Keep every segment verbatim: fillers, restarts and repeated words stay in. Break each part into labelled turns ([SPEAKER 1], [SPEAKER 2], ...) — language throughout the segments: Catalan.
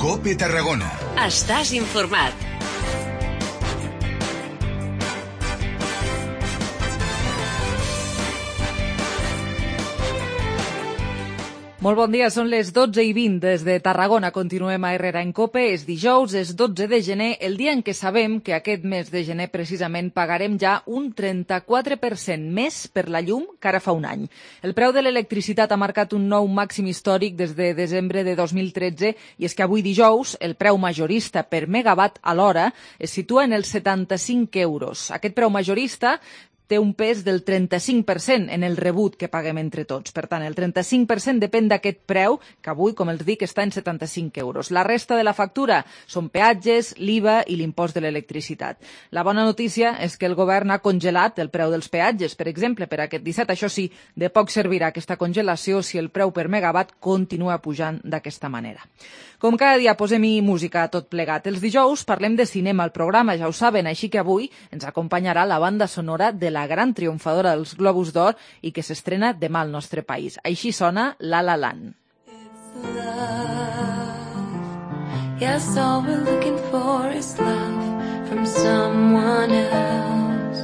[SPEAKER 1] COPE Tarragona.
[SPEAKER 2] Estàs informat.
[SPEAKER 3] Molt bon dia, són les dotze i vint des de Tarragona. Continuem a Herrera en COPE. És dijous, és dotze de gener, el dia en què sabem que aquest mes de gener precisament pagarem ja un trenta-quatre per cent més per la llum que ara fa un any. El preu de l'electricitat ha marcat un nou màxim històric des de desembre de dos mil tretze i és que avui dijous el preu majorista per megawatt a l'hora es situa en els setanta-cinc euros. Aquest preu majorista té un pes del trenta-cinc per cent en el rebut que paguem entre tots. Per tant, el trenta-cinc per cent depèn d'aquest preu, que avui, com els dic, està en setanta-cinc euros. La resta de la factura són peatges, l'I V A i l'impost de l'electricitat. La bona notícia és que el govern ha congelat el preu dels peatges, per exemple, per aquest disset. Això sí, de poc servirà aquesta congelació si el preu per megawatt continua pujant d'aquesta manera. Com cada dia posem-hi música a tot plegat. Els dijous parlem de cinema al programa, ja ho saben, així que avui ens acompanyarà la banda sonora de la gran triomfadora dels Globus d'Or i que s'estrena demà al nostre país. Així sona La La Land.
[SPEAKER 4] Yes, all we're looking for is love from someone else.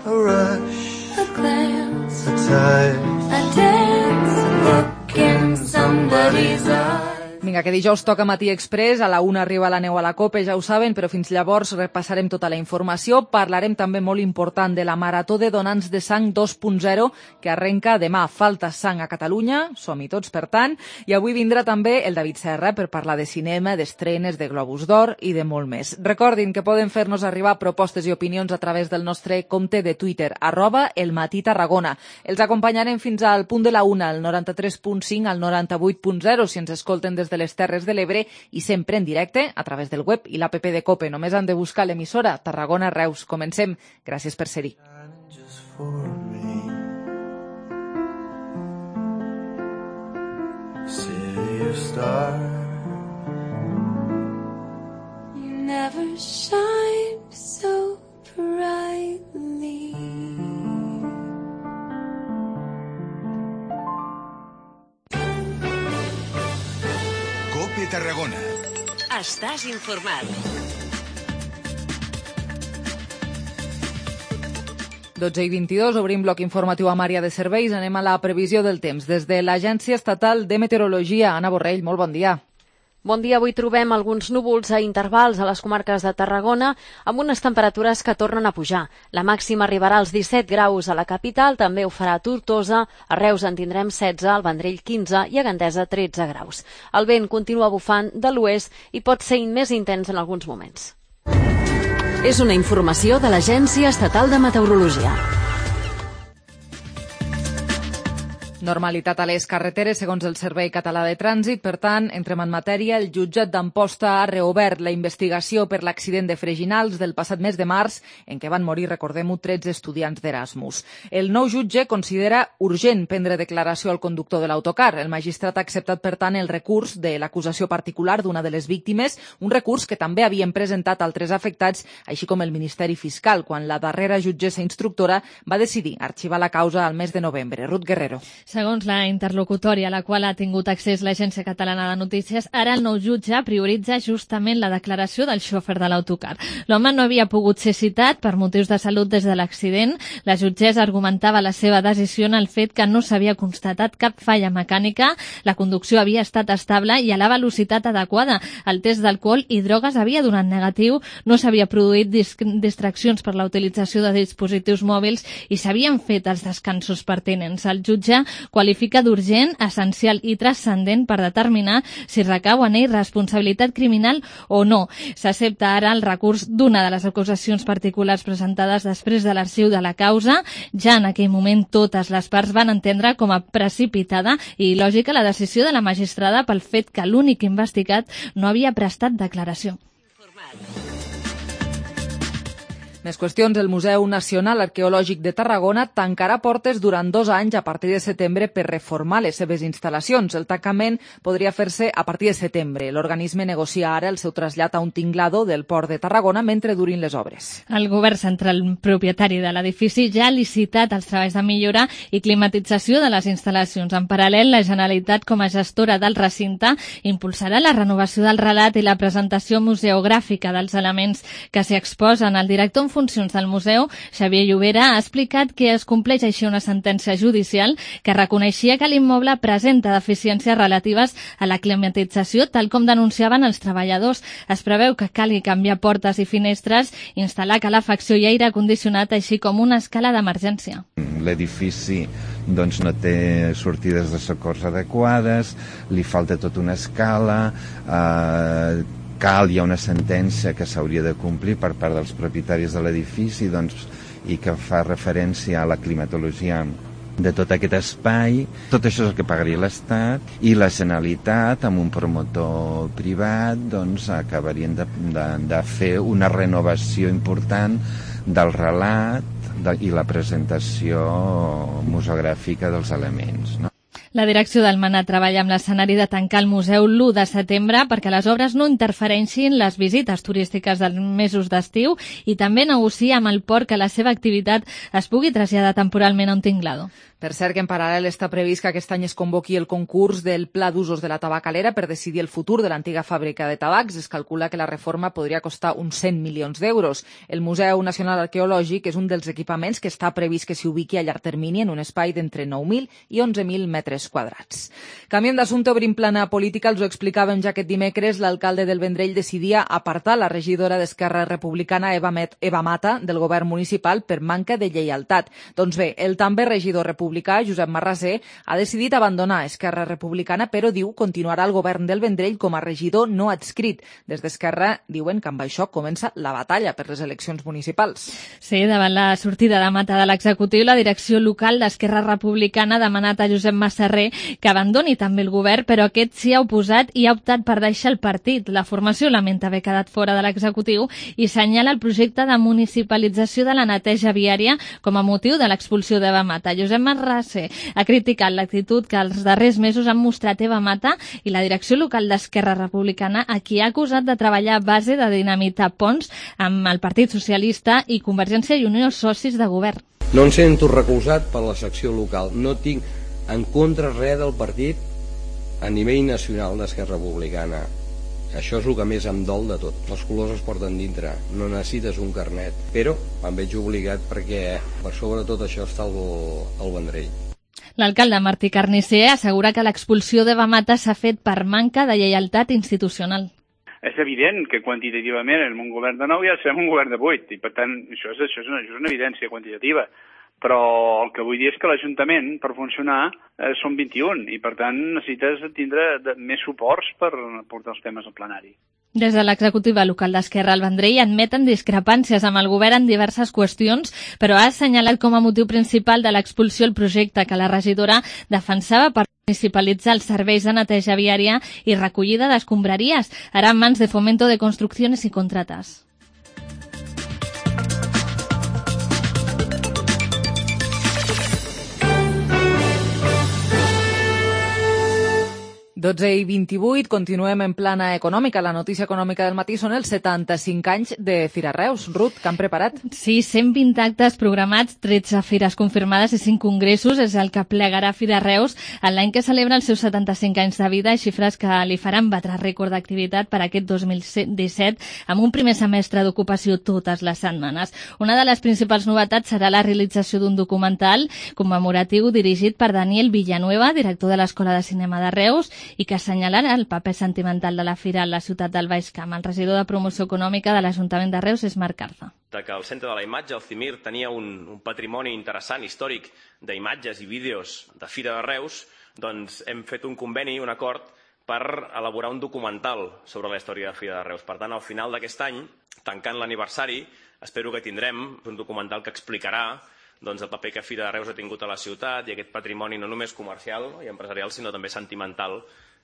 [SPEAKER 5] A rush,
[SPEAKER 4] A glance,
[SPEAKER 5] a touch,
[SPEAKER 4] a dance, a look in somebody's eyes.
[SPEAKER 3] Vinga, que dijous toca Matí Express, a la una arriba la neu a la COPE, ja ho saben, però fins llavors repassarem tota la informació. Parlarem també molt important de la Marató de Donants de Sang dos punt zero, que arrenca demà. Falta sang a Catalunya, som-hi tots, per tant, i avui vindrà també el David Serra per parlar de cinema, d'estrenes, de Globus d'Or i de molt més. Recordin que poden fer-nos arribar propostes i opinions a través del nostre compte de Twitter, arroba el Matí Tarragona. Els acompanyarem fins al punt de la una, al noranta-tres punt cinc, al noranta-vuit punt zero, si ens escolten des de de les Terres de l'Ebre i sempre en directe a través del web i l'app de COPE. Només han de buscar l'emissora Tarragona Reus. Comencem. Gràcies per ser-hi.
[SPEAKER 4] You never shine so brightly.
[SPEAKER 1] COPE Tarragona.
[SPEAKER 2] Estàs informat.
[SPEAKER 3] dotze i vint-i-dos, obrim bloc informatiu amb àrea de serveis. Anem a la previsió del temps. Des de l'Agència Estatal de Meteorologia, Anna Borrell, molt bon dia.
[SPEAKER 6] Bon dia, avui trobem alguns núvols a intervals a les comarques de Tarragona amb unes temperatures que tornen a pujar. La màxima arribarà als disset graus a la capital, també ho farà a Tortosa, a Reus en tindrem setze, al Vendrell quinze i a Gandesa tretze graus. El vent continua bufant de l'oest i pot ser més intens en alguns moments.
[SPEAKER 2] És una informació de l'Agència Estatal de Meteorologia.
[SPEAKER 3] Normalitat a les carreteres, segons el Servei Català de Trànsit. Per tant, entrem en matèria. El jutjat d'Amposta ha reobert la investigació per l'accident de Freginals del passat mes de març, en què van morir, recordem-ho, tretze estudiants d'Erasmus. El nou jutge considera urgent prendre declaració al conductor de l'autocar. El magistrat ha acceptat, per tant, el recurs de l'acusació particular d'una de les víctimes, un recurs que també havien presentat altres afectats, així com el Ministeri Fiscal, quan la darrera jutgessa instructora va decidir arxivar la causa al mes de novembre. Ruth Guerrero.
[SPEAKER 7] Segons la interlocutòria a la qual ha tingut accés l'Agència Catalana de Notícies, ara el nou jutge prioritza justament la declaració del xòfer de l'autocar. L'home no havia pogut ser citat per motius de salut des de l'accident. La jutgessa argumentava la seva decisió en el fet que no s'havia constatat cap falla mecànica, la conducció havia estat estable i a la velocitat adequada. El test d'alcohol i drogues havia donat negatiu, no s'havia produït distraccions per la utilització de dispositius mòbils i s'havien fet els descansos pertinents. El jutge qualifica d'urgent, essencial i transcendent per determinar si recau en ell responsabilitat criminal o no. S'accepta ara el recurs d'una de les acusacions particulars presentades després de l'arxiu de la causa. Ja en aquell moment totes les parts van entendre com a precipitada i lògica la decisió de la magistrada pel fet que l'únic investigat no havia prestat declaració.
[SPEAKER 3] Més qüestions. El Museu Nacional Arqueològic de Tarragona tancarà portes durant dos anys a partir de setembre per reformar les seves instal·lacions. El tancament podria fer-se a partir de setembre. L'organisme negocia ara el seu trasllat a un tinglado del Port de Tarragona mentre durin les obres.
[SPEAKER 7] El govern central propietari de l'edifici ja ha licitat els treballs de millora i climatització de les instal·lacions. En paral·lel, la Generalitat, com a gestora del recinte, impulsarà la renovació del relat i la presentació museogràfica dels elements que s'hi exposen. El director en funcions del museu, Xavier Llobera, ha explicat que es compleix així una sentència judicial que reconeixia que l'immoble presenta deficiències relatives a la climatització, tal com denunciaven els treballadors. Es preveu que calgui canviar portes i finestres, instal·lar calefacció i aire condicionat, així com una escala d'emergència.
[SPEAKER 8] L'edifici doncs, no té sortides de socors adequades, li falta tota una escala, eh, cal, hi ha una sentència que s'hauria de complir per part dels propietaris de l'edifici doncs, i que fa referència a la climatologia de tot aquest espai. Tot això és el que pagaria l'Estat i la Generalitat, amb un promotor privat, doncs, acabarien de, de, de fer una renovació important del relat de, i la presentació museogràfica dels elements, no?
[SPEAKER 7] La direcció del Manà treballa amb l'escenari de tancar el museu l'u de setembre perquè les obres no interfereixin les visites turístiques dels mesos d'estiu i també negocia amb el port que la seva activitat es pugui traslladar temporalment a un tinglado.
[SPEAKER 3] Per cert, que en paral·lel està previst que aquest any es convoqui el concurs del Pla d'Usos de la Tabacalera per decidir el futur de l'antiga fàbrica de tabacs. Es calcula que la reforma podria costar uns cent milions d'euros. El Museu Nacional Arqueològic és un dels equipaments que està previst que s'hi ubiqui a llarg termini en un espai d'entre nou mil i onze mil metres quadrats. Canviant d'assumpte, obrim plana política, els ho explicàvem ja aquest dimecres, l'alcalde del Vendrell decidia apartar la regidora d'Esquerra Republicana Eva, Met, Eva Mata del govern municipal per manca de lleialtat. Doncs bé, el també regidor republicà Josep Marrasé ha decidit abandonar Esquerra Republicana, però diu continuarà al govern del Vendrell com a regidor no adscrit. Des d'Esquerra diuen que amb això comença la batalla per les eleccions municipals.
[SPEAKER 7] Sí, davant la sortida de Mata de l'executiu, la direcció local d'Esquerra Republicana ha demanat a Josep Massarré que abandoni també el govern, però aquest s'hi ha oposat i ha optat per deixar el partit. La formació lamenta haver quedat fora de l'executiu i senyala el projecte de municipalització de la neteja viària com a motiu de l'expulsió d'Eva Mata. Josep Marrasé ha criticat l'actitud que els darrers mesos han mostrat Eva Mata i la direcció local d'Esquerra Republicana, a qui ha acusat de treballar a base de dinamitar ponts amb el Partit Socialista i Convergència i Unió, socis de govern.
[SPEAKER 9] No em sento recolzat per la secció local. No tinc en contra res del partit a nivell nacional d'Esquerra Republicana. Això és el que més em dol de tot. Els colors es porten dintre, no necessites un carnet. Però em veig obligat perquè per sobre tot això està el, el Vendrell.
[SPEAKER 7] L'alcalde Martí Carnicer assegura que l'expulsió d'Eva Mata s'ha fet per manca de lleialtat institucional.
[SPEAKER 10] És evident que quantitativament en un govern de nou ja serem un govern de vuit, i per tant això és, això és, una, això és una evidència quantitativa. Però el que vull dir és que l'Ajuntament, per funcionar, eh, són vint-i-un, i per tant necessites tindre de, més suports per portar els temes al plenari.
[SPEAKER 7] Des de l'executiva local d'Esquerra al Vendrell admeten discrepàncies amb el govern en diverses qüestions, però ha assenyalat com a motiu principal de l'expulsió el projecte que la regidora defensava per municipalitzar els serveis de neteja viària i recollida d'escombraries, ara en mans de Fomento de Construcciones y Contratas.
[SPEAKER 3] dotze i vint-i-vuit, continuem en plana econòmica. La notícia econòmica del matí són els setanta-cinc anys de Fira Reus. Ruth, què han preparat?
[SPEAKER 7] Sí, cent vint actes programats, tretze fires confirmades i cinc congressos és el que plegarà Fira Reus en l'any que celebra els seus setanta-cinc anys de vida, xifres que li faran batre rècord d'activitat per aquest dos mil disset amb un primer semestre d'ocupació totes les setmanes. Una de les principals novetats serà la realització d'un documental commemoratiu dirigit per Daniel Villanueva, director de l'Escola de Cinema de Reus, i que assenyalarà el paper sentimental de la fira a la ciutat del Baix Camp. El regidor de Promoció Econòmica de l'Ajuntament de Reus és Marc Carza.
[SPEAKER 11] Que el Centre de la Imatge, el CIMIR, tenia un, un patrimoni interessant, històric, d'imatges i vídeos de Fira de Reus, doncs hem fet un conveni, un acord, per elaborar un documental sobre la història de Fira de Reus. Per tant, al final d'aquest any, tancant l'aniversari, espero que tindrem un documental que explicarà doncs, el paper que Fira de Reus ha tingut a la ciutat i aquest patrimoni no només comercial i empresarial, sinó també sentimental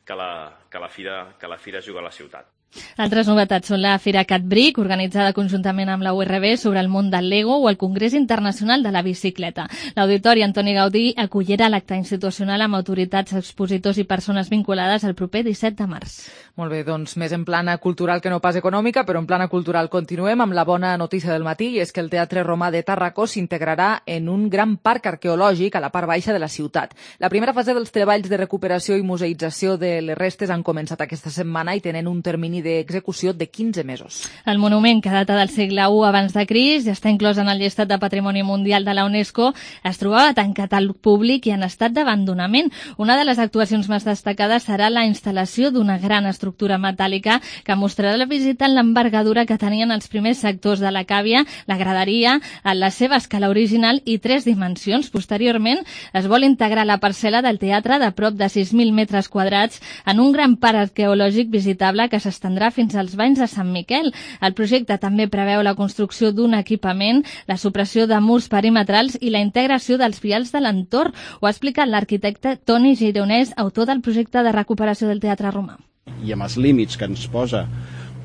[SPEAKER 11] que la, que la, fira, que la fira juga a la ciutat.
[SPEAKER 7] Altres novetats són la Fira CatBric, organitzada conjuntament amb la U R B sobre el món del Lego, o el Congrés Internacional de la Bicicleta. L'Auditori Antoni Gaudí acollirà l'acte institucional amb autoritats, expositors i persones vinculades el proper disset de març.
[SPEAKER 3] Molt bé, doncs més en plana cultural que no pas econòmica, però en plana cultural continuem amb la bona notícia del matí, i és que el Teatre Romà de Tàrraco s'integrarà en un gran parc arqueològic a la part baixa de la ciutat. La primera fase dels treballs de recuperació i museïtzació de les restes han començat aquesta setmana i tenen un termini d'execució de quinze mesos.
[SPEAKER 7] El monument, que data del segle u abans de Crist, ja està inclòs en el llistat de Patrimoni Mundial de la UNESCO, es trobava tancat al públic i en estat d'abandonament. Una de les actuacions més destacades serà la instal·lació d'una gran estructura metàl·lica que mostrarà la visita en l'envergadura que tenien els primers sectors de la càvia, la graderia, en la seva escala original i tres dimensions. Posteriorment, es vol integrar la parcel·la del teatre de prop de sis mil metres quadrats en un gran parc arqueològic visitable que s'estendrà fins als banys de Sant Miquel. El projecte també preveu la construcció d'un equipament, la supressió de murs perimetrals i la integració dels vials de l'entorn. Ho ha explicat l'arquitecte Toni Gironès, autor del projecte de recuperació del Teatre Romà.
[SPEAKER 12] I amb els límits que ens posa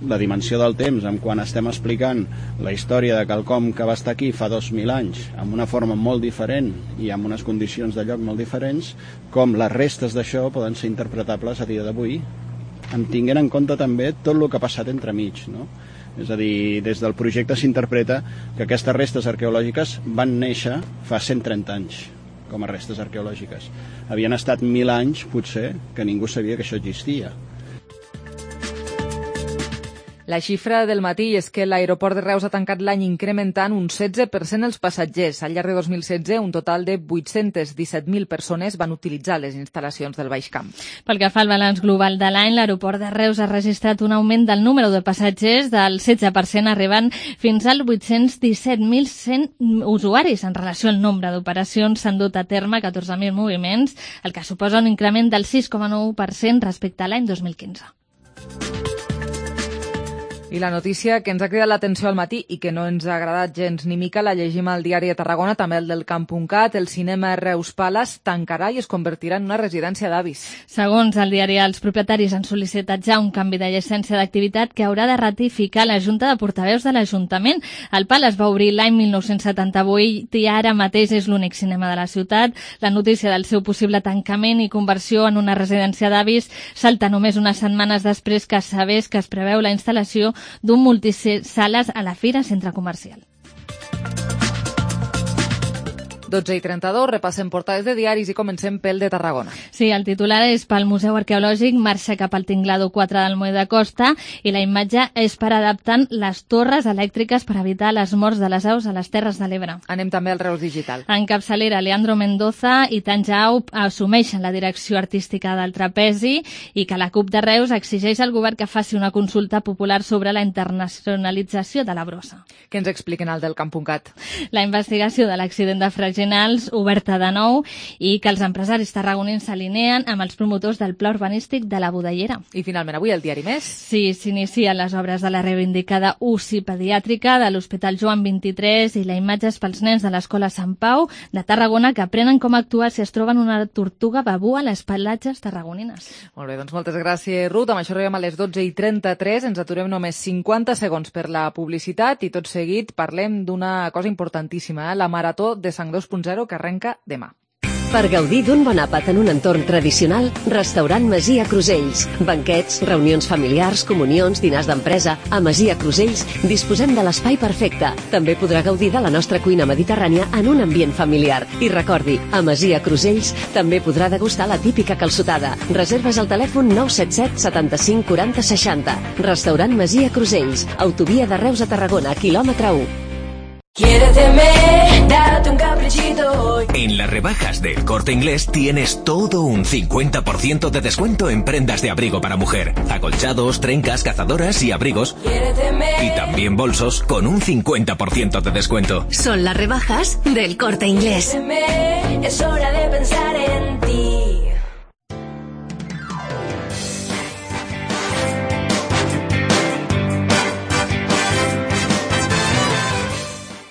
[SPEAKER 12] la dimensió del temps, en quan estem explicant la història de quelcom que va estar aquí fa dos mil anys, amb una forma molt diferent i amb unes condicions de lloc molt diferents, com les restes d'això poden ser interpretables a dia d'avui, en tinguent en compte també tot el que ha passat entremig, no? És a dir, des del projecte s'interpreta que aquestes restes arqueològiques van néixer fa cent trenta anys com a restes arqueològiques. Havien estat mil anys, potser, que ningú sabia que això existia.
[SPEAKER 3] La xifra del matí és que l'aeroport de Reus ha tancat l'any incrementant un setze per cent els passatgers. Al llarg de dos mil setze, un total de vuit-cents disset mil persones van utilitzar les instal·lacions del Baix Camp.
[SPEAKER 7] Pel que fa al balanç global de l'any, l'aeroport de Reus ha registrat un augment del número de passatgers del setze per cent, arribant fins als vuit-cents disset mil cent usuaris. En relació al nombre d'operacions, s'han dut a terme catorze mil moviments, el que suposa un increment del sis coma nou per cent respecte a l'any dos mil quinze.
[SPEAKER 3] I la notícia que ens ha cridat l'atenció al matí i que no ens ha agradat gens ni mica la llegim al diari de Tarragona, també el del camp punt cat. El cinema Reus Palace tancarà i es convertirà en una residència d'avis.
[SPEAKER 7] Segons el diari, els propietaris han sol·licitat ja un canvi de llicència d'activitat que haurà de ratificar la Junta de Portaveus de l'Ajuntament. El Palace va obrir l'any mil nou-cents setanta-vuit i ara mateix és l'únic cinema de la ciutat. La notícia del seu possible tancament i conversió en una residència d'avis salta només unes setmanes després que sabés que es preveu la instal·lació d'un multisales a la Fira Centre Comercial.
[SPEAKER 3] dotze i trenta-dos, repassem portades de diaris i comencem pel de Tarragona.
[SPEAKER 7] Sí, el titular és pel Museu Arqueològic, marxa cap al Tinglado quatre del Moll de Costa, i la imatge és per adaptant les torres elèctriques per evitar les morts de les aus a les Terres de l'Ebre.
[SPEAKER 3] Anem també al Reus Digital.
[SPEAKER 7] En capçalera, Leandro Mendoza i Tanja Aup assumeixen la direcció artística del trapezi i que la CUP de Reus exigeix al govern que faci una consulta popular sobre la internacionalització de la brossa.
[SPEAKER 3] Què ens expliquen al del camp punt cat?
[SPEAKER 7] La investigació de l'accident de Freginals oberta de nou i que els empresaris tarragonins s'alineen amb els promotors del pla urbanístic de la Budellera.
[SPEAKER 3] I finalment avui el diari Més.
[SPEAKER 7] Sí, s'inicien les obres de la reivindicada U C I pediàtrica de l'Hospital Joan vint-i-tres i la imatge és pels nens de l'Escola Sant Pau de Tarragona que aprenen com actuar si es troben una tortuga babú a les platges tarragonines.
[SPEAKER 3] Molt bé, doncs moltes gràcies, Ruth. Amb això arribem a les dotze i trenta-tres. Ens aturem només cinquanta segons per la publicitat i tot seguit parlem d'una cosa importantíssima, eh? La Marató de Sang dos punt zero que arrenca demà.
[SPEAKER 2] Per gaudir d'un bon àpat en un entorn tradicional, Restaurant Masia Crusells. Banquets, reunions familiars, comunions, dinars d'empresa. A Masia Crusells disposem de l'espai perfecte. També podrà gaudir de la nostra cuina mediterrània en un ambient familiar. I recordi, a Masia Crusells també podrà degustar la típica calçotada. Reserves al telèfon nou set set setanta-cinc quaranta seixanta. Restaurant Masia Crusells. Autovia de Reus a Tarragona, quilòmetre u.
[SPEAKER 4] Quiéreteme, date un caprichito hoy.
[SPEAKER 13] En las rebajas del Corte Inglés tienes todo un cincuenta por ciento de descuento en prendas de abrigo para mujer, acolchados, trencas, cazadoras y abrigos.
[SPEAKER 4] Quiéreteme.
[SPEAKER 13] Y también bolsos con un cincuenta por ciento de descuento.
[SPEAKER 2] Son las rebajas del Corte Inglés.
[SPEAKER 4] Quiéreteme, es hora de pensar en ti.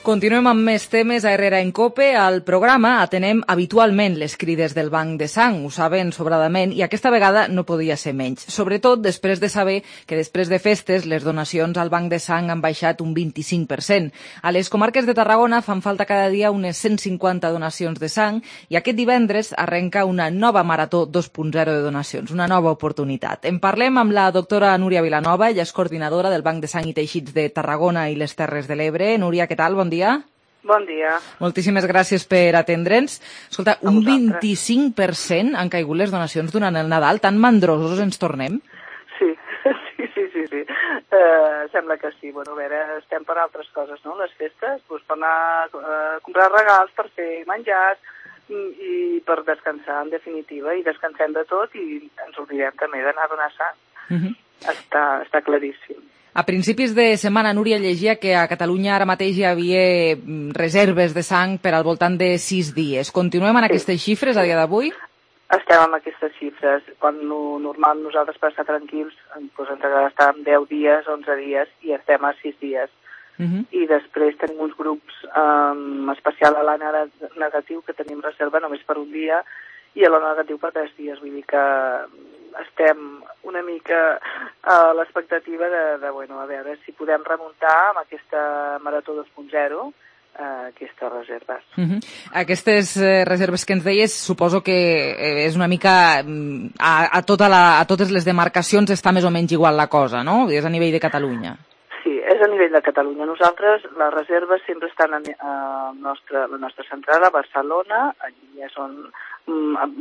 [SPEAKER 3] Continuem amb més temes a Herrera en Cope. Al programa atenem habitualment les crides del Banc de Sang, ho saben sobradament, i aquesta vegada no podia ser menys. Sobretot després de saber que després de festes les donacions al Banc de Sang han baixat un vint-i-cinc per cent. A les comarques de Tarragona fan falta cada dia unes cent cinquanta donacions de sang i aquest divendres arrenca una nova marató dos punt zero de donacions, una nova oportunitat. En parlem amb la doctora Núria Vilanova, ella és coordinadora del Banc de Sang i Teixits de Tarragona i les Terres de l'Ebre. Núria, què tal? Bon dia.
[SPEAKER 14] Bon dia.
[SPEAKER 3] Moltíssimes gràcies per atendre'ns. Escolta, un vint-i-cinc per cent han caigut les donacions durant el Nadal. Tan mandrosos ens tornem?
[SPEAKER 14] Sí, sí, sí, sí. sí. Uh, sembla que sí. Bueno, a veure, estem per altres coses, no? Les festes, doncs per anar a comprar regals, per fer menjars i per descansar, en definitiva. I descansem de tot i ens oblidem també d'anar a donar sang. Uh-huh. Està, està claríssim.
[SPEAKER 3] A principis de setmana, Núria, llegia que a Catalunya ara mateix hi havia reserves de sang per al voltant de sis dies. Continuem en aquestes sí. xifres a dia d'avui?
[SPEAKER 14] Estem amb aquestes xifres. Quan no, normal nosaltres per estar tranquils doncs ens agrada estar en deu dies, onze dies i estem a sis dies. Uh-huh. I després tenim uns grups, um, especial a l'A negatiu, que tenim reserva només per un dia i a l'O negatiu per tres dies. Vull dir que estem una mica a l'expectativa de, de, bueno, a veure si podem remuntar amb aquesta Marató dos punt zero eh, aquestes reserves.
[SPEAKER 3] Uh-huh. Aquestes eh, reserves que ens deies, suposo que eh, és una mica a, a, tota la, a totes les demarcacions està més o menys igual la cosa, no? És a nivell de Catalunya.
[SPEAKER 14] Sí, és a nivell de Catalunya. Nosaltres, les reserves sempre estan a, a nostra, la nostra central a Barcelona, allí és on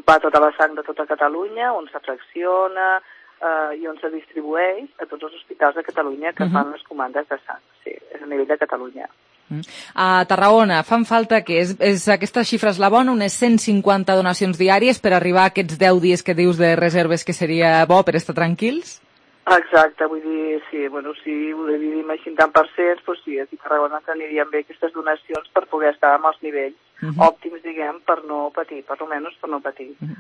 [SPEAKER 14] va tota la sang de tota Catalunya, on s'afracciona eh, i on se distribueix a tots els hospitals de Catalunya que uh-huh. fan les comandes de sang. Sí, és a nivell de Catalunya.
[SPEAKER 3] Uh-huh. A Tarragona fan falta, que és, és aquesta xifra és la bona, unes cent cinquanta donacions diàries per arribar a aquests deu dies que dius de reserves que seria bo per estar tranquils?
[SPEAKER 14] Exacte, vull dir, sí, bueno, si ho dividim així en tant per cents, doncs sí, aquí a Tarragona t'anirien bé aquestes donacions per poder estar amb els nivells uh-huh. òptims, diguem, per no patir, per almenys per no patir.
[SPEAKER 3] Uh-huh.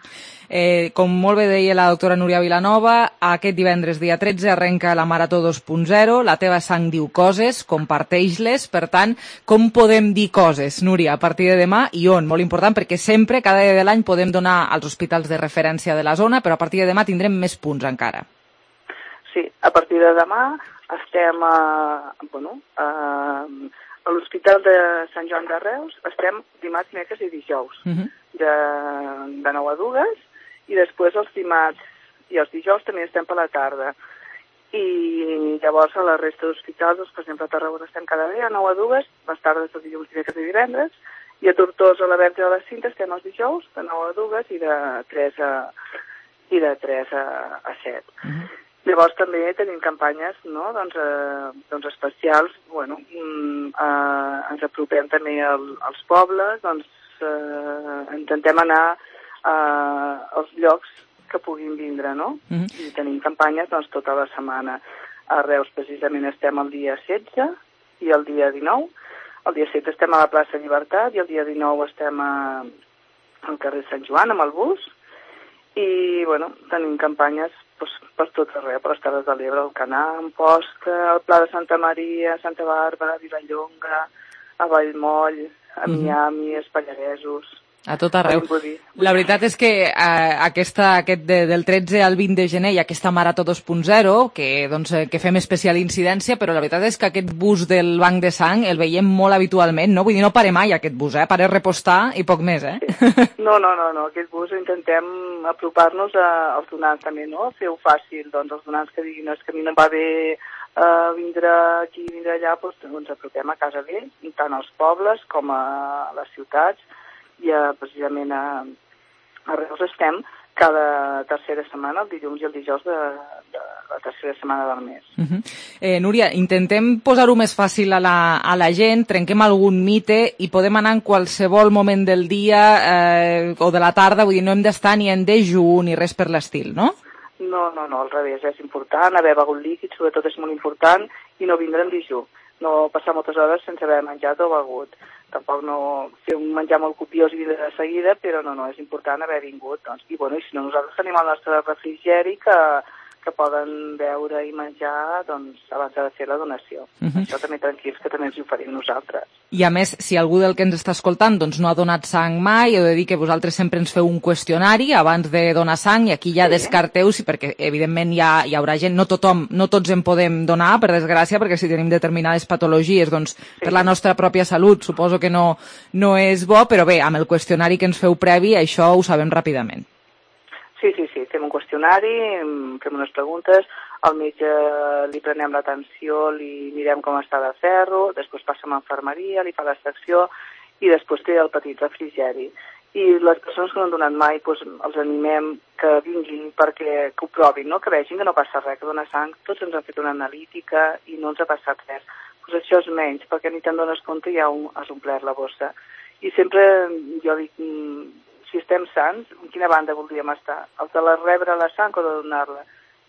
[SPEAKER 3] Eh, com molt bé deia la doctora Núria Vilanova, aquest divendres, dia tretze, arrenca la Marató dos punt zero, la teva sang diu coses, comparteix-les, per tant, com podem dir coses, Núria, a partir de demà i on? Molt important, perquè sempre, cada dia de l'any, podem donar als hospitals de referència de la zona, però a partir de demà tindrem més punts encara.
[SPEAKER 14] Sí, a partir de demà estem a, bueno, a, a l'Hospital de Sant Joan de Reus, estem dimarts, dimecres i dijous, uh-huh. de, de nou a dues, i després els dimarts i els dijous també estem per la tarda. I llavors a la resta d'hospitals, doncs, per exemple a Tarragona estem cada dia a nou a dues, les tardes de dilluns, dimecres i divendres, i a Tortosa, a la Verge de la Cinta, estem els dijous de nou a dues i de tres a, i de tres a, a set. Uh-huh. Llavors també tenim campanyes, no? doncs, eh, doncs especials, bueno, eh, ens apropem també al, als pobles, doncs eh, intentem anar eh, als llocs que puguin vindre, no? Uh-huh. I tenim campanyes doncs tota la setmana. A Reus precisament estem el dia setze i el dia dinou. El dia setze estem a la plaça Llibertat i el dia dinou estem a, al carrer Sant Joan amb el bus. I, bueno, tenim campanyes doncs, per tot arreu, per les Terres de l'Ebre, el Canà, Amposta, el Pla de Santa Maria, Santa Bàrbara, Vilallonga, a Vallmoll, a Miami, als Pallaresos.
[SPEAKER 3] A tot arreu. La veritat és que eh, aquesta, aquest de, del tretze al vint de gener hi ha aquesta Marató dos punt zero, que, doncs, que fem especial incidència, però la veritat és que aquest bus del Banc de Sang el veiem molt habitualment, no? Vull dir, no pare mai aquest bus, eh? Pare repostar i poc més, eh?
[SPEAKER 14] Sí. No, no, no, no, aquest bus intentem apropar-nos als donants també, no? Fer-ho fàcil, doncs els donants que diguin és que a mi no em va bé uh, vindre aquí, vindre allà, doncs, doncs apropem a casa d'ells, tant als pobles com a les ciutats, i a, precisament a, a Reus estem cada tercera setmana, el dilluns i el dijous de, de la tercera setmana del mes.
[SPEAKER 3] Uh-huh. eh, Núria, intentem posar-ho més fàcil a la, a la gent, trenquem algun mite i podem anar en qualsevol moment del dia eh, o de la tarda, vull dir, no hem d'estar ni en dejú ni res per l'estil, no?
[SPEAKER 14] No, no, no, al revés, és important, haver begut líquid, sobretot és molt important, i no vindre en dejú. No passar moltes hores sense haver menjat o begut. Tampoc no fer un menjar molt copiós i vindre de seguida, però no, no, és important haver vingut. Doncs. I, bueno, i si no, nosaltres tenim el nostre refrigeri que, que poden veure i menjar doncs, abans de fer la donació. Uh-huh. Això també tranquils, que també ens ho oferim nosaltres.
[SPEAKER 3] I a més, si algú del que ens està escoltant doncs, no ha donat sang mai, heu de dir que vosaltres sempre ens feu un qüestionari abans de donar sang, i aquí ja sí. descarteu, sí, perquè evidentment hi, ha, hi haurà gent, no tothom, no tots en podem donar, per desgràcia, perquè si tenim determinades patologies, doncs sí. per la nostra pròpia salut, suposo que no, no és bo, però bé, amb el qüestionari que ens feu previ, això ho sabem ràpidament.
[SPEAKER 14] Sí, sí, sí, fem un qüestionari, fem unes preguntes, al metge li prenem l'atenció, li mirem com està de ferro, després passa a infermeria, li fa l'extracció i després té el petit refrigeri. I les persones que no han donat mai, doncs, els animem que vinguin perquè que ho provin, no? Que vegin que no passa res, que donar sang, tots ens han fet una analítica i no ens ha passat res. Doncs això és menys, perquè ni te'n dones compte i ja has omplert la bossa. I sempre jo dic, si estem sants, en quina banda voldríem estar? Els de la rebre la sang o de donar-la?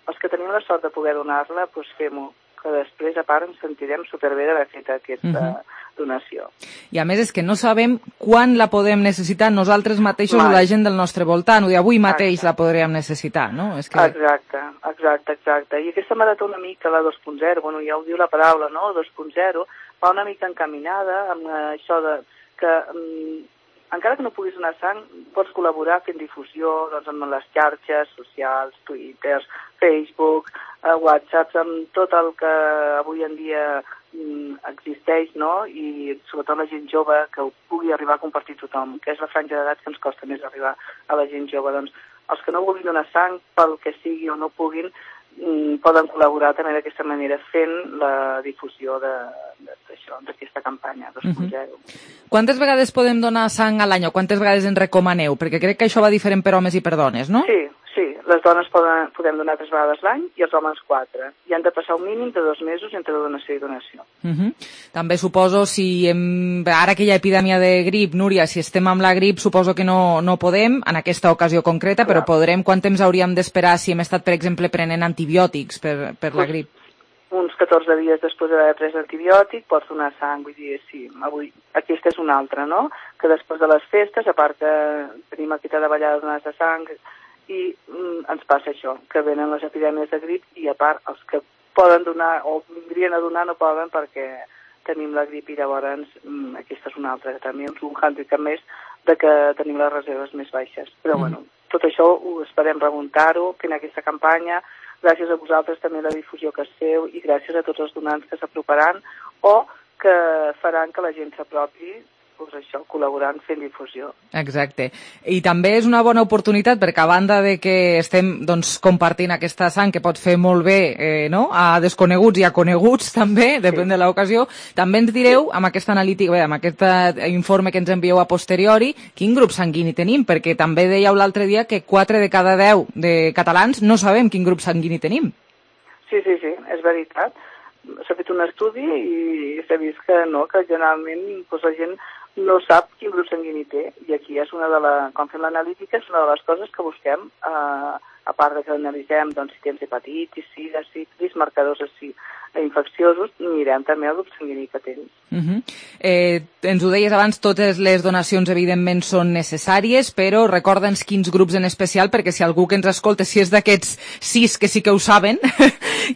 [SPEAKER 14] Els que tenim la sort de poder donar-la, doncs fem-ho, que després, a part, ens sentirem superbé d'haver fet aquesta uh-huh. donació.
[SPEAKER 3] I a més és que no sabem quan la podem necessitar nosaltres mateixos
[SPEAKER 14] Mai.
[SPEAKER 3] o la gent del nostre voltant, o d'avui mateix exacte. La podríem necessitar, no? És que...
[SPEAKER 14] Exacte, exacte, exacte. I aquesta marató una mica, la dos punt zero, bueno, ja ho diu la paraula, no?, dos punt zero, va una mica encaminada amb això de que um, encara que no puguis donar sang, pots col·laborar fent difusió doncs, amb les xarxes socials, Twitter, Facebook, eh, WhatsApp, amb tot el que avui en dia mm, existeix, no? I sobretot la gent jove, que ho pugui arribar a compartir tothom, que és la franja d'edat que ens costa més arribar a la gent jove. Doncs els que no vulguin donar sang, pel que sigui o no puguin, mm, poden col·laborar també d'aquesta manera fent la difusió de, de, d'això, d'aquesta campanya dos punt zero. Uh-huh.
[SPEAKER 3] Quantes vegades podem donar sang a l'any o quantes vegades en recomaneu? Perquè crec que això va diferent per homes i per dones, no?
[SPEAKER 14] Sí, sí. Les dones poden, podem donar tres vegades l'any i els homes quatre. I han de passar un mínim de dos mesos entre donació i donació.
[SPEAKER 3] Uh-huh. També suposo, si hem... ara que hi ha epidèmia de grip, Núria, si estem amb la grip, suposo que no, no podem, en aquesta ocasió concreta, clar. Però podrem, quant temps hauríem d'esperar si hem estat, per exemple, prenent antibiòtics per, per la grip?
[SPEAKER 14] Uns catorze dies després d'haver pres antibiòtic pots donar sang, vull dir, sí, avui, aquesta és una altra, no? Que després de les festes, a part que tenim aquesta davallada de donades de sang, i mm, ens passa això, que venen les epidèmies de grip i a part els que poden donar o vindrien a donar no poden perquè tenim la grip i llavors mm, aquesta és una altra, també és un handicap més de que tenim les reserves més baixes. Però mm. bueno, tot això ho esperem remuntar-ho, fent aquesta campanya, gràcies a vosaltres també la difusió que es feu i gràcies a tots els donants que s'aproparan o que faran que la gent s'apropi, doncs això, col·laborant fent difusió.
[SPEAKER 3] Exacte. I també és una bona oportunitat perquè a banda de que estem doncs, compartint aquesta sang que pot fer molt bé eh, no? a desconeguts i a coneguts també, depèn sí. de l'ocasió, també ens direu amb aquesta analítica, bé, amb aquest informe que ens envieu a posteriori, quin grup sanguini tenim, perquè també dèieu l'altre dia que quatre de cada deu de catalans no sabem quin grup sanguini tenim.
[SPEAKER 14] Sí, sí, sí, és veritat. S'ha fet un estudi i s'ha vist que no, que generalment doncs, la gent no sap quin grup sanguini té, i aquí és una de la, quan fem l'analítica és una de les coses que busquem, eh, a part de que analitzem doncs, si tens hepatitis, sida, sífilis, marcadors així infecciosos, mirem també el grup sanguini que tens.
[SPEAKER 3] Uh-huh. eh, ens ho deies abans, totes les donacions evidentment són necessàries, però recorda'ns quins grups en especial, perquè si algú que ens escolta, si és d'aquests sis que sí que ho saben,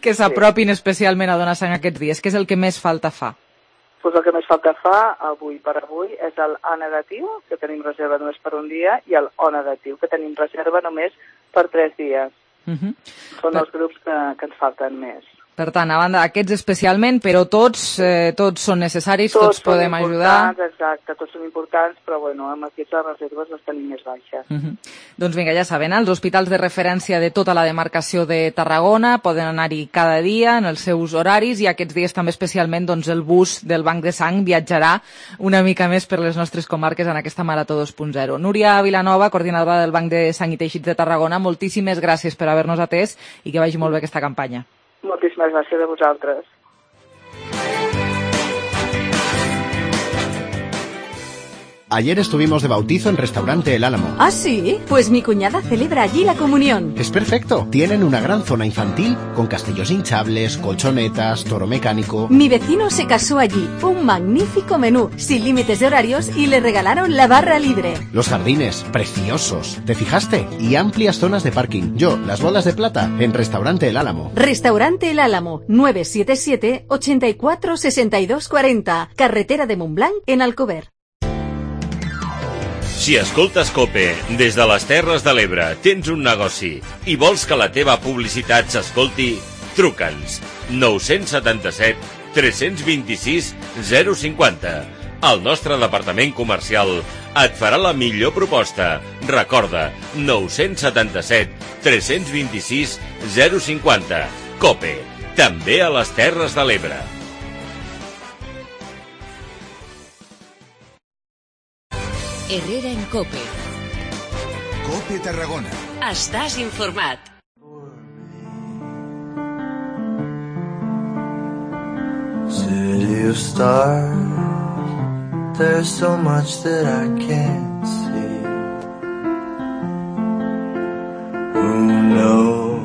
[SPEAKER 3] que s'apropin sí. especialment a donar sang aquests dies, què és el que més falta fa?
[SPEAKER 14] Pues el que més falta fa, avui per avui, és el A negatiu, que tenim reserva només per un dia, i el O negatiu, que tenim reserva només per tres dies. Uh-huh. Són per... els grups que, que ens falten més.
[SPEAKER 3] Per tant, a banda d'aquests especialment, però tots eh, tots són necessaris, tots, tots podem ajudar.
[SPEAKER 14] Exacte, tots són importants, però bueno, amb aquests les reserves les tenim més baixes.
[SPEAKER 3] Uh-huh. Doncs vinga, ja saben, els hospitals de referència de tota la demarcació de Tarragona poden anar-hi cada dia en els seus horaris i aquests dies també especialment doncs, el bus del Banc de Sang viatjarà una mica més per les nostres comarques en aquesta Marató dos punt zero. Núria Vilanova, coordinadora del Banc de Sang i Teixits de Tarragona, moltíssimes gràcies per haver-nos atès i que vagi molt bé aquesta campanya.
[SPEAKER 14] Moltíssimes gràcies a vosaltres.
[SPEAKER 15] Ayer estuvimos de bautizo en Restaurante El Álamo.
[SPEAKER 16] ¿Ah, sí? Pues mi cuñada celebra allí la comunión.
[SPEAKER 15] Es perfecto. Tienen una gran zona infantil con castillos hinchables, colchonetas, toro mecánico.
[SPEAKER 16] Mi vecino se casó allí. Un magnífico menú, sin límites de horarios, y le regalaron la barra libre.
[SPEAKER 15] Los jardines, preciosos. ¿Te fijaste? Y amplias zonas de parking. Yo, las bolas de plata, en Restaurante El Álamo.
[SPEAKER 16] Restaurante El Álamo, nueve siete siete, ocho cuatro, seis dos cuatro cero. Carretera de Montblanc, en Alcover.
[SPEAKER 17] Si escoltes COPE des de les Terres de l'Ebre, tens un negoci i vols que la teva publicitat s'escolti, truca'ns nou set set, tres dos sis, zero cinquanta. El nostre departament comercial et farà la millor proposta. Recorda, nou set set, tres dos sis, zero cinquanta. COPE, també a les Terres de l'Ebre.
[SPEAKER 2] Herrera en COPE.
[SPEAKER 1] COPE Tarragona.
[SPEAKER 2] Estàs informat.
[SPEAKER 5] City of stars, there's so much that I can't see. Who knows?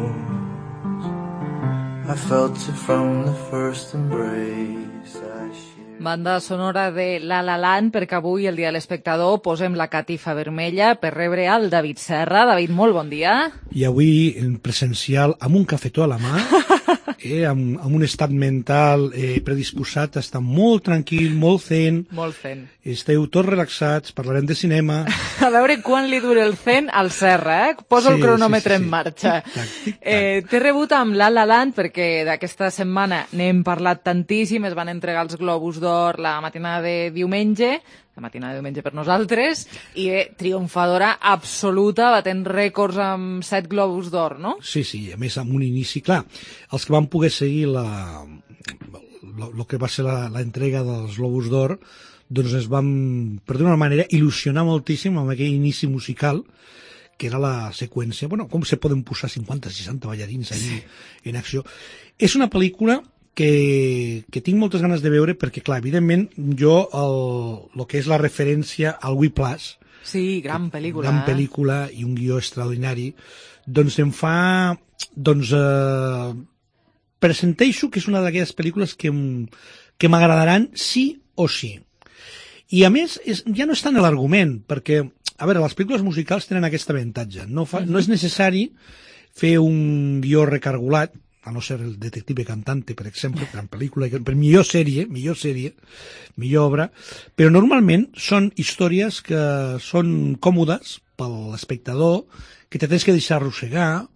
[SPEAKER 5] I felt it from the first embrace I shared.
[SPEAKER 3] Banda sonora de La La Land, perquè avui, el dia de l'espectador, posem la catifa vermella per rebre el David Serra. David, molt bon dia.
[SPEAKER 18] I avui, en presencial, amb un cafetó a la mà, eh, amb, amb un estat mental eh, predisposat a estar molt tranquil, molt zen.
[SPEAKER 3] Molt zen.
[SPEAKER 18] Esteu tots relaxats, parlarem de cinema.
[SPEAKER 3] A veure quan li dura el zen al Serra, eh? Posa sí, el cronòmetre sí, sí, sí. en marxa.
[SPEAKER 18] Tic-tac, tic-tac.
[SPEAKER 3] Eh, T'he rebut amb La La Land perquè d'aquesta setmana n'hem parlat tantíssim, es van entregar els Globus d'Or la matinada de diumenge, la matinada de diumenge per nosaltres, i eh, triomfadora absoluta, batent rècords amb set Globus d'Or, no?
[SPEAKER 18] Sí, sí, a més amb un inici, clar, els que van poder seguir la, el que va ser la, la entrega dels Globus d'Or, doncs es van, per d'una manera, il·lusionar moltíssim amb aquell inici musical, que era la seqüència, bueno, com se poden posar cinquanta, seixanta ballarins allí en acció. És una pel·lícula que, que tinc moltes ganes de veure perquè, clar, evidentment, jo el, el que és la referència al Whiplash,
[SPEAKER 3] sí, gran pel·lícula,
[SPEAKER 18] gran
[SPEAKER 3] eh?
[SPEAKER 18] pel·lícula i un guió extraordinari, doncs em fa, doncs, eh, presenteixo que és una d'aquelles pel·lícules que, que m'agradaran sí o sí. I a més, és, ja no és tant l'argument, perquè, a veure, les pel·lícules musicals tenen aquest avantatge. No, fa, no és necessari fer un guió recargolat, a no ser el Detective Cantante, per exemple, gran pel·lícula, per millor sèrie, millor sèrie, millor obra, però normalment són històries que són còmodes per l'espectador, que te tens que deixar arrossegar,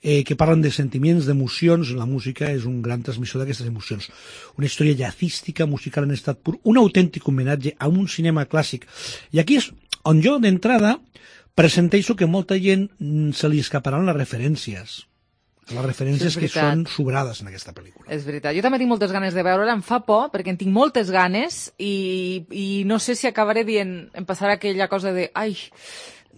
[SPEAKER 18] eh, que parlen de sentiments, d'emocions. La música és un gran transmissor d'aquestes emocions. Una història jazzística, musical en estat pur, un autèntic homenatge a un cinema clàssic. I aquí és on jo, d'entrada, presenteixo que molta gent se li escaparan les referències. Les referències sí, que són sobrades en aquesta pel·lícula.
[SPEAKER 3] És veritat. Jo també tinc moltes ganes de veure-la, em fa por, perquè en tinc moltes ganes i, i no sé si acabaré dient, em passarà aquella cosa de ai,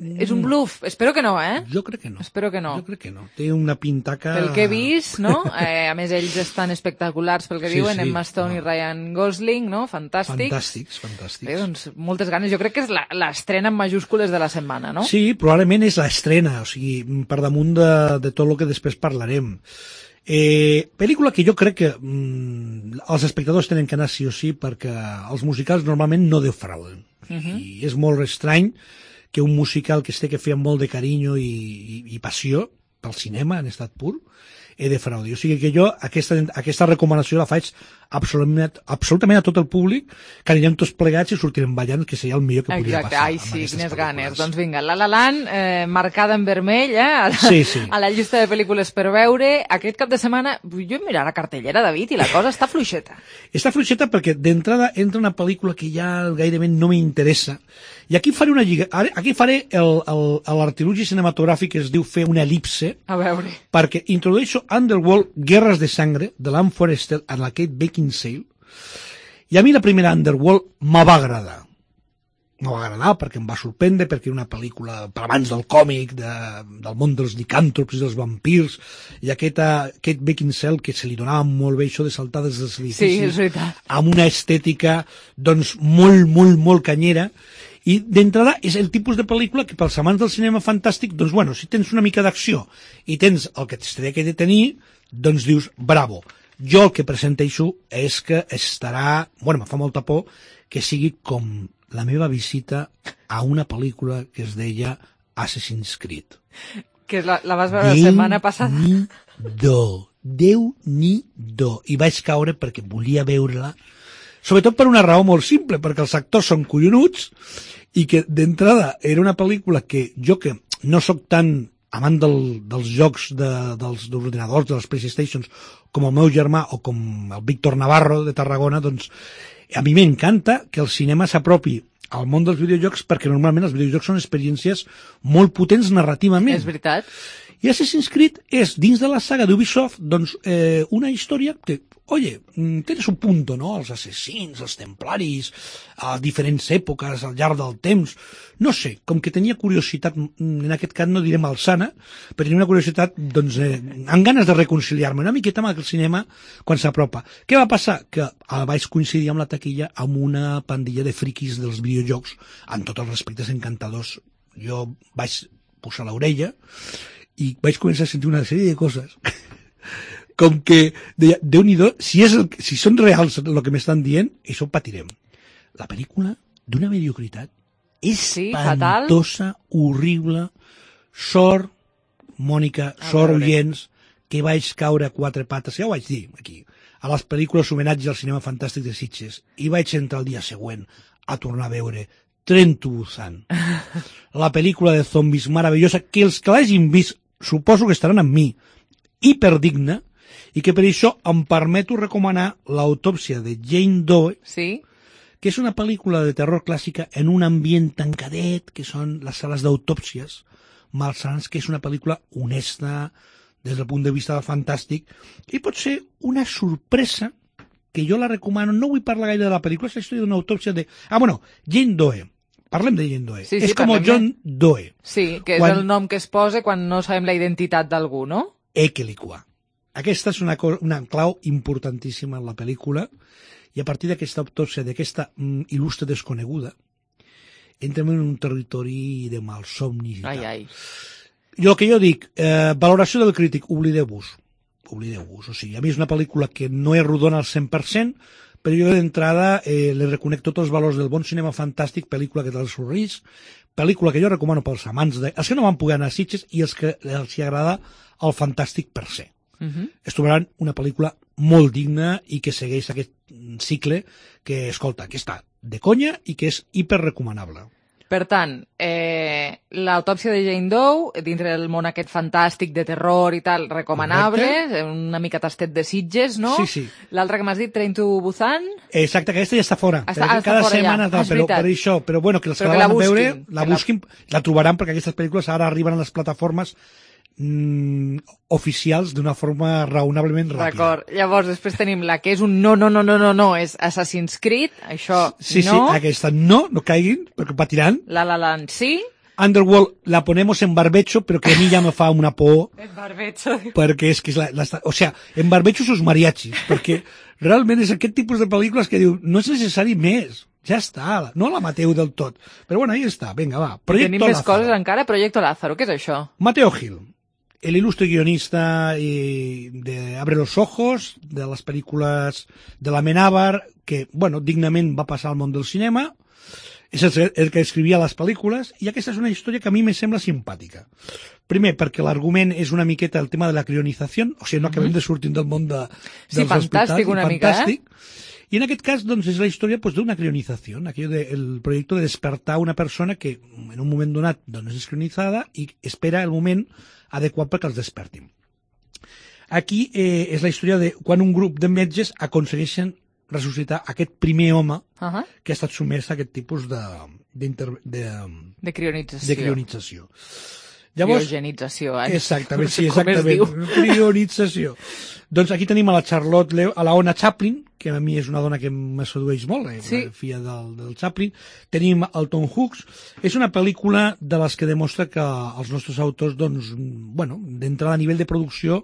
[SPEAKER 3] és un bluff. Espero que no, eh?
[SPEAKER 18] Jo crec que no.
[SPEAKER 3] Espero que no.
[SPEAKER 18] Jo crec que no. Té una pintaca...
[SPEAKER 3] Pel que he vist, no? Eh, a més, ells estan espectaculars pel que sí, diuen, sí, Emma Stone no. i Ryan Gosling, no? Fantàstics.
[SPEAKER 18] Fantàstics, fantàstics.
[SPEAKER 3] Bé, doncs, moltes ganes. Jo crec que és l'estrena en majúscules de la setmana, no?
[SPEAKER 18] Sí, probablement és l'estrena, o sigui, per damunt de, de tot el que després parlarem. Eh, pel·lícula que jo crec que mm, els espectadors tenen que anar sí o sí perquè els musicals normalment no defrauden. Uh -huh. I és molt estrany que un musical que es té que fer amb molt de carinyo i, i, i passió pel cinema en estat pur, he de fraudi. O sigui que jo aquesta, aquesta recomanació la faig absolutament, absolutament a tot el públic, que anirem tots plegats i sortirem ballant, que seria el millor que podria
[SPEAKER 3] Exacte.
[SPEAKER 18] passar.
[SPEAKER 3] Ai, sí, quines ganes. Doncs vinga, La La Land, eh, marcada en vermell, eh, a la,
[SPEAKER 18] sí, sí.
[SPEAKER 3] a la llista de pel·lícules per veure. Aquest cap de setmana, jo em mirar la cartellera, David, i la cosa està fluixeta.
[SPEAKER 18] Està fluixeta perquè d'entrada entra una pel·lícula que ja gairebé no m'interessa, i aquí faré una lliga, aquí faré l'artilugi cinematogràfic que es diu fer una elipse,
[SPEAKER 3] a veure,
[SPEAKER 18] perquè introdueixo Underworld, Guerres de Sangre, de l'Anne Forrester en la Kate Beckinsale, i a mi la primera Underworld me va agradar. Me va agradar perquè em va sorprendre, perquè era una pel·lícula per abans del còmic, de, del món dels licàntrops i dels vampirs, i aquesta Kate Beckinsale, que se li donava molt bé això de saltar des dels edificis,
[SPEAKER 3] sí, és veritat,
[SPEAKER 18] amb una estètica doncs molt, molt, molt canyera, I d'entrada és el tipus de pel·lícula que pels amants del cinema fantàstic, doncs bueno, si tens una mica d'acció i tens el que t'estaria que de tenir, doncs dius, bravo. Jo el que presenteixo és que estarà, bueno, me fa molta por que sigui com la meva visita a una pel·lícula que es deia Assassin's Creed.
[SPEAKER 3] Que la, la vas veure la setmana passada.
[SPEAKER 18] Déu-n'hi-do, Déu-n'hi-do. I vaig caure perquè volia veure-la, sobretot per una raó molt simple, perquè els actors són collonuts i que d'entrada era una pel·lícula que jo, que no sóc tan amant del, dels jocs de, dels, dels ordinadors, de les PlayStations, com el meu germà o com el Víctor Navarro de Tarragona, doncs a mi m'encanta que el cinema s'apropi al món dels videojocs, perquè normalment els videojocs són experiències molt potents narrativament.
[SPEAKER 3] És veritat.
[SPEAKER 18] I Assassin's Creed és, dins de la saga d'Ubisoft, doncs, eh, una història que, oye, tens un punto, no?, els assassins, els templaris, a diferents èpoques, al llarg del temps, no sé, com que tenia curiositat, en aquest cas no diré malsana, però tenia una curiositat, doncs, eh, amb ganes de reconciliar-me una miqueta amb el cinema quan s'apropa. Què va passar? Que vaig coincidir amb la taquilla amb una pandilla de friquis dels videojocs, amb tots els respectes encantadors. Jo vaig posar l'orella i vaig començar a sentir una sèrie de coses com que, deia, Déu-n'hi-do, si, és el, si són reals el que m'estan dient, això ho patirem. La pel·lícula, d'una mediocritat espantosa, sí, horrible, sort, Mònica, sort, oients, que vaig caure a quatre pates, ja ho vaig dir aquí, a les pel·lícules homenatge al cinema fantàstic de Sitges, i vaig entrar el dia següent a tornar a veure Tren to Busan, la pel·lícula de zombis meravellosa, que els que l'hagin vist suposo que estaran amb mi, hiperdigna, i que per això em permeto recomanar l'autòpsia de Jane Doe,
[SPEAKER 3] sí,
[SPEAKER 18] que és una pel·lícula de terror clàssica en un ambient tancadet, que són les sales d'autòpsies malsans, que és una pel·lícula honesta des del punt de vista del fantàstic, i pot ser una sorpresa que jo la recomano. No vull parlar gaire de la pel·lícula, és la història d'una autòpsia de... Ah, bueno, Jane Doe. Parlem de Jane Doe.
[SPEAKER 3] Sí, sí,
[SPEAKER 18] és com John de... Doe.
[SPEAKER 3] Sí, que és
[SPEAKER 18] quan...
[SPEAKER 3] el nom que es posa quan no sabem la identitat d'algú, no?
[SPEAKER 18] Equelicua. Aquesta és una, una clau importantíssima en la pel·lícula, i a partir d'aquesta autòpsia, d'aquesta mm, il·lustre desconeguda, entrem en un territori de malsomnis i
[SPEAKER 3] ai,
[SPEAKER 18] tal.
[SPEAKER 3] Ai.
[SPEAKER 18] Jo el que jo dic, eh, valoració del crític, oblideu-vos. Oblideu-vos. O sigui, a mi és una pel·lícula que no és rodona al cent per cent, però jo d'entrada eh, li reconec tots els valors del bon cinema fantàstic, pel·lícula que té el seu risc, pel·lícula que jo recomano pels amants, de, els que no van poder anar a Sitges i els que els hi agrada el fantàstic per se. Uh-huh. Es trobaran una pel·lícula molt digna i que segueix aquest cicle que, escolta, que està de conya i que és hiperrecomanable.
[SPEAKER 3] Per tant, eh, l'autòpsia de Jane Doe, dintre del món aquest fantàstic de terror i tal, recomanable, correcte, una mica tastet de Sitges, no?
[SPEAKER 18] Sí, sí.
[SPEAKER 3] L'altre que m'has dit, Train to Busan?
[SPEAKER 18] Exacte, que aquesta ja està fora.
[SPEAKER 3] Està, està
[SPEAKER 18] cada
[SPEAKER 3] fora
[SPEAKER 18] setmana,
[SPEAKER 3] ja.
[SPEAKER 18] tal,
[SPEAKER 3] Ah,
[SPEAKER 18] però, per això, però bueno, que els però que la van veure, la busquin, la... la trobaran, perquè aquestes pel·lícules ara arriben a les plataformes mm, oficials d'una forma raonablement ràpida.
[SPEAKER 3] D'acord. Llavors, després tenim la que és un no, no, no, no, no, no, és Assassin's Creed, això
[SPEAKER 18] sí,
[SPEAKER 3] no.
[SPEAKER 18] Sí, aquesta no, no caiguin, perquè patiran.
[SPEAKER 3] La La Land sí.
[SPEAKER 18] Underworld la ponemos en barbecho, pero que a mí ya me fa una por.
[SPEAKER 3] En barbecho.
[SPEAKER 18] Perquè és que és la, la, o sea, en barbecho sus mariachis, perquè realment és aquest tipus de pel·lícules que diu, no és necessari més. Ja està, no la mateu del tot. Però bueno, ahí està, venga, va.
[SPEAKER 3] Proyecto Tenim més Lázaro. Coses encara, Proyecto Lázaro, què és això?
[SPEAKER 18] Mateo Gil, el ilustre guionista de Abre los ojos, de les pel·lícules de la Menábar, que, bueno, dignament va passar al món del cinema, és el, el que escrivia les pel·lícules, i aquesta és una història que a mi me sembla simpàtica. Primer, perquè l'argument és una miqueta el tema de la crionització, o sigui, no acabem de sortir del món de, dels
[SPEAKER 3] sí, fantàstic,
[SPEAKER 18] hospitals.
[SPEAKER 3] Una fantàstic,
[SPEAKER 18] mica, eh? Y en aquest cas, doncs, és la història pues, d'una crionizació, aquello de, el projecte de despertar una persona que en un moment donat doncs, és crionitzada i espera el moment adequat perquè els despertin. Aquí eh, és la història de quan un grup de metges aconsegueixen ressuscitar aquest primer home uh-huh. que ha estat sumès a aquest tipus de, de, de,
[SPEAKER 3] de crionització.
[SPEAKER 18] De crionització. Llavors,
[SPEAKER 3] criogenització, eh?
[SPEAKER 18] Exactament, sí, exactament. Crionització. Doncs aquí tenim a la Charlotte Leo, a la Ona Chaplin, que a mi és una dona que me sedueix molt, eh? Sí. La filla del, del Chaplin. Tenim el Tom Hanks. És una pel·lícula de les que demostra que els nostres autors, doncs, bueno, d'entrada a nivell de producció,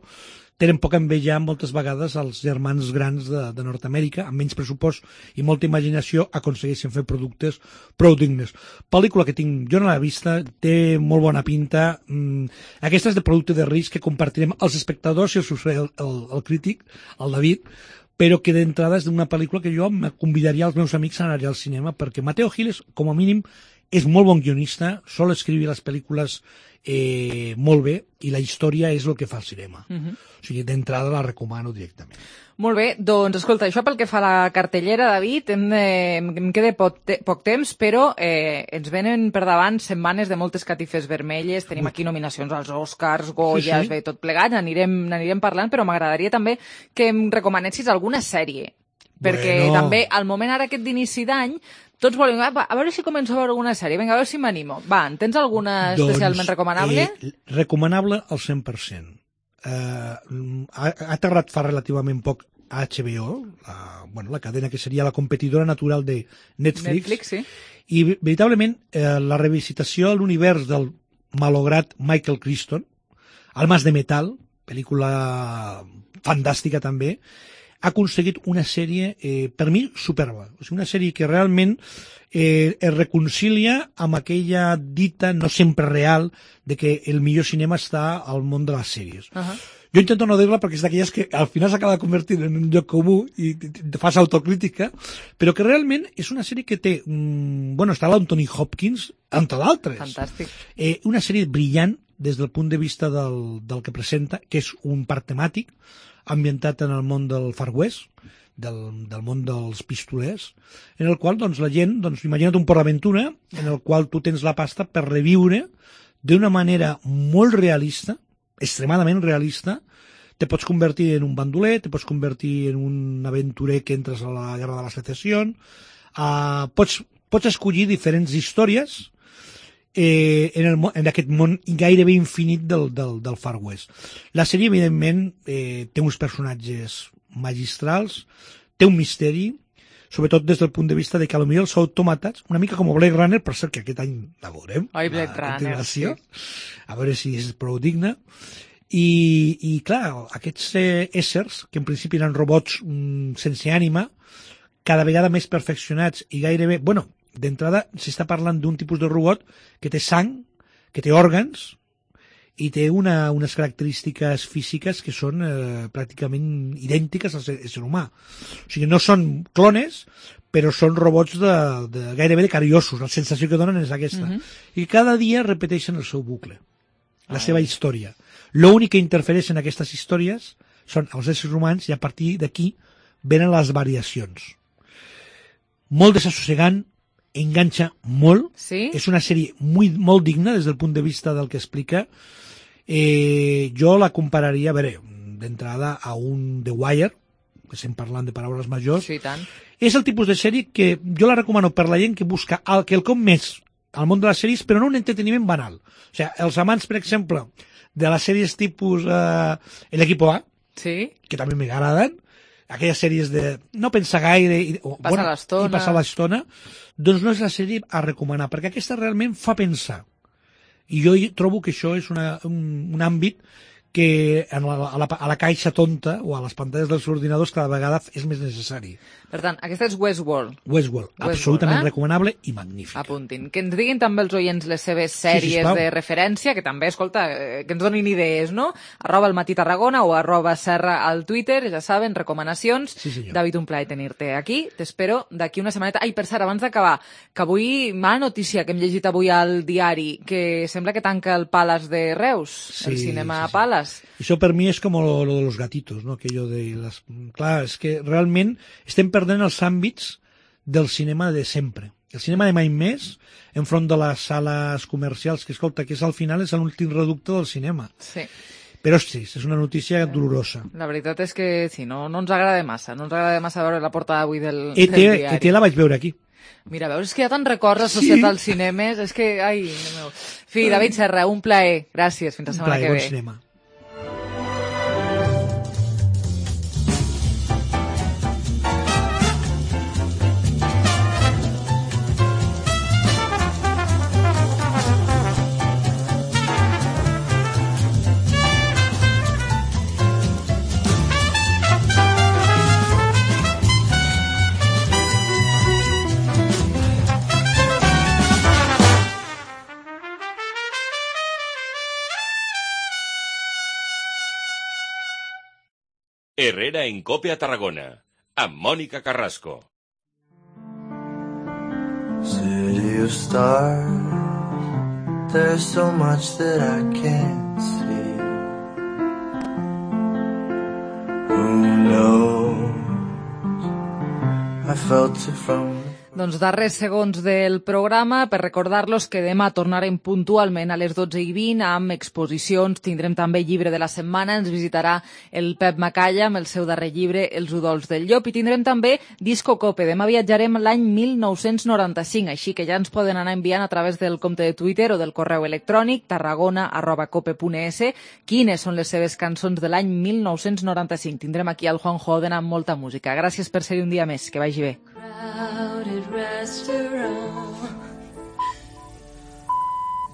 [SPEAKER 18] tenen poc a envejar moltes vegades als germans grans de, de Nord-Amèrica, amb menys pressupost i molta imaginació, aconsegueixen fer productes prou dignes. Pel·lícula que tinc, jo no l'he vista, té molt bona pinta. Mm, aquesta és de producte de risc que compartirem els espectadors i el, el, el, el crític, el David, però que d'entrada és d'una pel·lícula que jo me convidaria als meus amics a anar al cinema, perquè Mateo Giles, com a mínim, és molt bon guionista, sol escriure les pel·lícules eh, molt bé, i la història és el que fa el cinema. Uh-huh. O sigui, d'entrada la recomano directament.
[SPEAKER 3] Molt bé, doncs escolta, això pel que fa a la cartellera, David, em, eh, em queda poc, te poc temps, però eh, ens venen per davant setmanes de moltes catifes vermelles, tenim aquí nominacions als Oscars, Goyas, sí, sí. Bé, tot plegat, n'anirem parlant, però m'agradaria també que em recomanessis alguna sèrie, perquè bueno. també al moment ara aquest d'inici d'any tots volem, a veure si començo a veure alguna sèrie, vinga, a veure si m'animo. Va, en tens alguna doncs, especialment recomanable?
[SPEAKER 18] Eh, recomanable al cent per cent. Uh, ha, ha aterrat fa relativament poc a H B O, la, bueno, la cadena que seria la competidora natural de Netflix,
[SPEAKER 3] Netflix sí.
[SPEAKER 18] I veritablement eh, la revisitació a l'univers del malograt Michael Crichton, Almas de Metal, pel·lícula fantàstica també, ha aconseguit una sèrie, eh, per mi, superba. O sigui, una sèrie que realment eh, es reconcilia amb aquella dita no sempre real de que el millor cinema està al món de les sèries. Uh -huh. Jo intento no dir-la perquè és d'aquelles que al final s'acaba convertint en un lloc comú i te fas autocrítica, però que realment és una sèrie que té... Mm, bueno, està l'Anthony Hopkins, entre d'altres.
[SPEAKER 3] Fantàstic.
[SPEAKER 18] Eh, una sèrie brillant des del punt de vista del, del que presenta, que és un parc temàtic, ambientat en el món del Far West, del, del món dels pistolers, en el qual doncs, la gent, doncs, imagina't un Port Aventura, en el qual tu tens la pasta per reviure d'una manera molt realista, extremadament realista, te pots convertir en un bandoler, te pots convertir en un aventurer que entres a la Guerra de la Secessió, uh, pots, pots escollir diferents històries Eh, en, el, en aquest món gairebé infinit del, del, del Far West. La sèrie, evidentment, eh, té uns personatges magistrals, té un misteri, sobretot des del punt de vista de que potser els autòmates, una mica com Blade Runner, per cert que aquest any la veurem,
[SPEAKER 3] Oi, Blade Runner, sí.
[SPEAKER 18] A veure si és prou digna. I, i clar, aquests eh, éssers, que en principi eren robots mm, sense ànima, cada vegada més perfeccionats i gairebé... Bueno, d'entrada s'està parlant d'un tipus de robot que té sang, que té òrgans i té una, unes característiques físiques que són eh, pràcticament idèntiques al ser, al ser humà. O sigui, no són clones, però són robots de, de, gairebé de cariosos. La sensació que donen és aquesta. Uh-huh. I cada dia repeteixen el seu bucle, la Ai. seva història. L'únic que interfereix en aquestes històries són els éssers humans i a partir d'aquí venen les variacions. Molt desassossegant, enganxa molt,
[SPEAKER 3] sí?
[SPEAKER 18] És una sèrie molt, molt digna des del punt de vista del que explica. Eh, jo la compararia, a veure, d'entrada a un The Wire, que estem parlant de paraules majors.
[SPEAKER 3] Sí, tant.
[SPEAKER 18] És el tipus de sèrie que jo la recomano per la gent que busca el, quelcom més al món de les sèries, però no un entreteniment banal. O sigui, els amants, per exemple, de les sèries tipus eh, l'Equipo A,
[SPEAKER 3] sí?
[SPEAKER 18] Que també m'agraden, aquelles sèries de no pensar gaire i, o,
[SPEAKER 3] passar
[SPEAKER 18] bueno,
[SPEAKER 3] l'estona.
[SPEAKER 18] i passar l'estona, doncs no és la sèrie a recomanar, perquè aquesta realment fa pensar. I jo trobo que això és una, un, un àmbit que a la, a, la, a la caixa tonta o a les pantalles dels ordinadors cada vegada és més necessari.
[SPEAKER 3] Per tant, aquesta és Westworld.
[SPEAKER 18] Westworld,
[SPEAKER 3] Westworld
[SPEAKER 18] absolutament
[SPEAKER 3] eh?
[SPEAKER 18] recomanable i magnífica.
[SPEAKER 3] Apuntin. Que ens diguin també els oients les seves sèries
[SPEAKER 18] sí,
[SPEAKER 3] de referència, que també, escolta, que ens donin idees, no? Arroba el Matí Tarragona o arroba Serra al Twitter, ja saben, recomanacions.
[SPEAKER 18] Sí, senyor.
[SPEAKER 3] David, un plaer tenir-te aquí. T'espero d'aquí una setmaneta. Ai, per cert, abans d'acabar, que avui, mala notícia que hem llegit avui al diari, que sembla que tanca el Palace de Reus,
[SPEAKER 18] sí,
[SPEAKER 3] el cinema
[SPEAKER 18] sí, sí.
[SPEAKER 3] Palace.
[SPEAKER 18] Això per mi és com lo, lo de los gatitos, ¿no? Aquello de las... Clar, és que realment estem perdent els àmbits del cinema de sempre. El cinema de mai més, enfront de les sales comercials, que escolta, que és al final és l'últim reducte del cinema.
[SPEAKER 3] Sí.
[SPEAKER 18] Però sí, és una notícia dolorosa.
[SPEAKER 3] La veritat és que sí, no, no ens agrada massa, no ens agrada massa veure la portada avui del,
[SPEAKER 18] E T,
[SPEAKER 3] del diari.
[SPEAKER 18] E T la vaig veure aquí.
[SPEAKER 3] Mira, veus, és que hi ha tant records associats sí. als cinemes, és que, ai, no meu. Fi, David Serra, un plaer. Gràcies, fins la setmana que ve.
[SPEAKER 18] Un plaer, bon cinema.
[SPEAKER 17] Herrera en Cope a Tarragona, amb Mònica Carrasco.
[SPEAKER 5] City of stars, there's so much that I can't see. Who knows? I felt it from...
[SPEAKER 3] Doncs darrers segons del programa per recordar-los que demà tornarem puntualment a les dotze i vint amb exposicions, tindrem també llibre de la setmana, ens visitarà el Pep Macalla amb el seu darrer llibre, Els udols del llop, i tindrem també Disco Cope. Demà viatjarem l'any mil nou-cents noranta-cinc, així que ja ens poden anar enviant a través del compte de Twitter o del correu electrònic tarragona arroba cope punt es quines són les seves cançons de l'any mil nou-cents noranta-cinc. Tindrem aquí el Juan Joden amb molta música. Gràcies per ser-hi un dia més, que vagi bé.
[SPEAKER 4] Crowded restaurant